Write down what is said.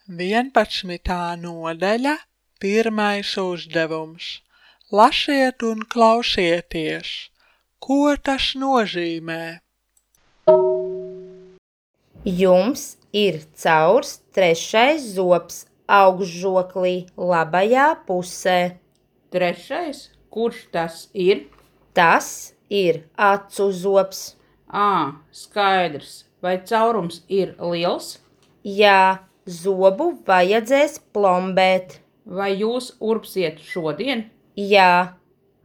11. nodaļa, 1. uzdevums. Lasiet un klausieties. Ko tas nozīmē? Jums ir caurs 3. zobs augšžoklī labajā pusē. 3. Kurš tas ir? Tas ir acu zobs. Skaidrs. Vai caurums ir liels? Jā, zobu vajadzēs plombēt. Vai jūs urpsiet šodien? Jā,